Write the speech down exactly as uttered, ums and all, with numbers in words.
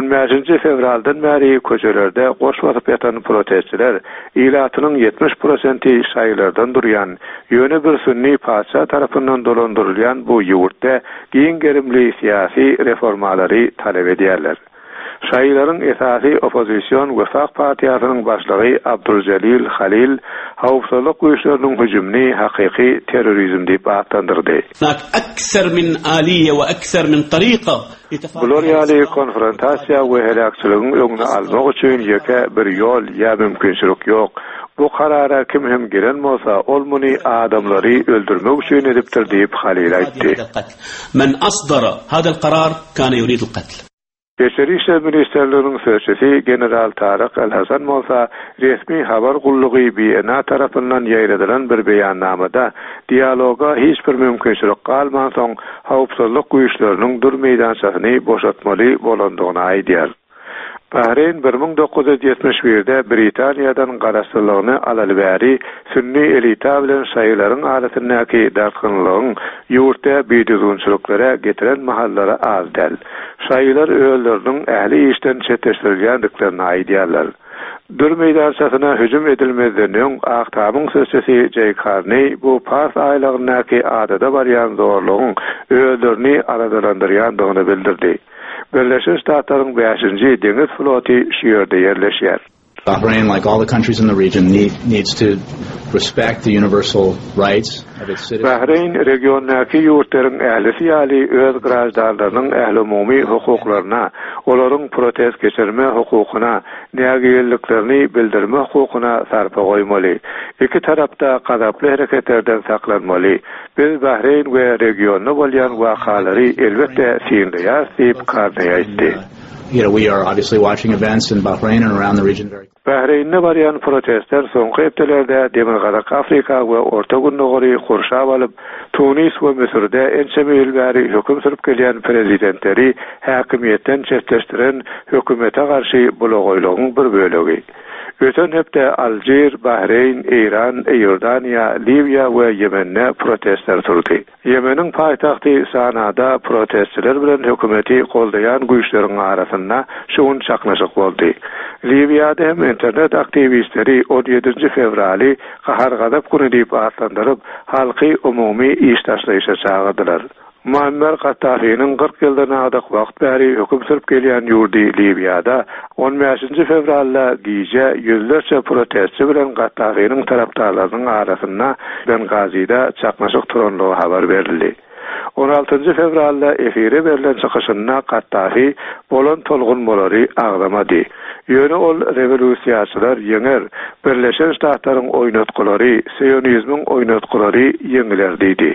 On bäşinji fewraldan bäri köçelerde goş basyp ýatan protestçiler ilatynyň ýetmiş prosenti şaýylardan durýan, ýöne bir sünni patyşa tarapyndan dolandyrylýan bu ýurtda giň gerimli syýasy reformalary talap edýärler. Şaýylaryň esasy oppozision Wefak partiýasynyň başlygy Abdüljelil Halil howpsuzlyk güýçleriniň hüjümini hakyky terrorizm diýip atlandyrdy. هناك أكثر من آلية وأكثر من طريقة Bular ýaly konfrontasiýa we heläkçiligiň öňüni almak üçin ýeke bir ýol ýa mümkinçilik ýok. Bu karara kim hem gelen bolsa, ol muny adamlary öldürmek üçin edipdir diýip Halil aýtdy. هذا القتل من أصدر هذا القرار كان يريد القتل Içeri işler ministrliginiň sözçüsi General Taryk El-Hasan bolsa resmi habar gullugy B N A tarapyndan ýaýradylan bir beýannamada dialoga hiç bir mümkinçilik galmansoň howpsuzlyk güýçleriniň Dür meýdançasyny boşatmaly bolandygyny aýdýar. Bahreýn bir müň dokuz ýüz ýetmiş birde Britaniýadan garaşsyzlygyny alaly bäri sünni elita bilen şaýylaryň arasyndaky dartgynlygyň ýurtda bidüzgünçiliklere getiren mahallary az däl. Şaýylar özleriniň ähli işden çetleşdirilýändiklerini aýdýarlar. Dür meýdançasyna hüjüm edilmezden öň Ak Tamyň sözçüsi Jeý Karneý bu Pars aýlagyndaky adada barýan zorlugyň özlerini aladalandyrýandygyny bildirdi. Birleşen Ştatlaryň bäşinji deňiz floty şu ýerde ýerleşýär. Bahrain, like all the countries in the region, need, needs to respect the universal rights of its citizens. Bahreýn regiondaky ýurtlaryň ählisi ýaly öz graždanlarynyň ählumumy hukuklaryna, olaryň protest geçirme hukukyna, nägileliklerini bildirme hukukyna sarpa goýmaly. Iki tarap-da gazaply hereketlerden saklanmaly. Biz Bahreýn we regionda bolýan wakalary elbetde synlaýarys diýip Karneý aýtdy. You know, we are obviously watching events in Bahrain and around the region very Bahreýnde barýan protestler soňky hepdelerde Demirgazyk Afrika we Orta Gündogary gurşap alyp, Tunis we Müsürde ençeme ýyl bäri höküm sürüp gelýän prezidentleri häkimiýetden çetleşdiren hökümete garşy bulagaýlygyň bir bölegi. Öten hepde Alžir, Bahreýn, Eýran, Iordaniýa, Liwiýa we Ýemende protestler turdy. Ýemeniň paýtagty Sanada protestçiler bilen hökümeti goldaýan güýçleriň arasynda şu gün çaknyşyk boldy. Liwiýada hem internet aktiwistleri on ýedinji fewraly gahar-gazap güni diýip atlandyryp, halky umumy iş taşlaýyşa çagyrdylar. Muammer Gaddafiniň kyrk ýyldan artyk wagt bäri höküm sürüp gelýän ýurdy Liwiýada on bäşinji fewralda gije ýüzlerçe protestçi bilen Gaddafiniň tarapdarlarynyň arasynda Bengazide çaknyşyk turanlygy habar berildi. On altynjy fewralda efire berlen çykyşynda Gaddafi bolan tolgunmalary agzamady. Ýöne ol rewolýusiýaçylar ýeňer, Birleşen Ştatlaryň oýnatgylary, sionizmiň oýnatgylary ýeňiler diýdi.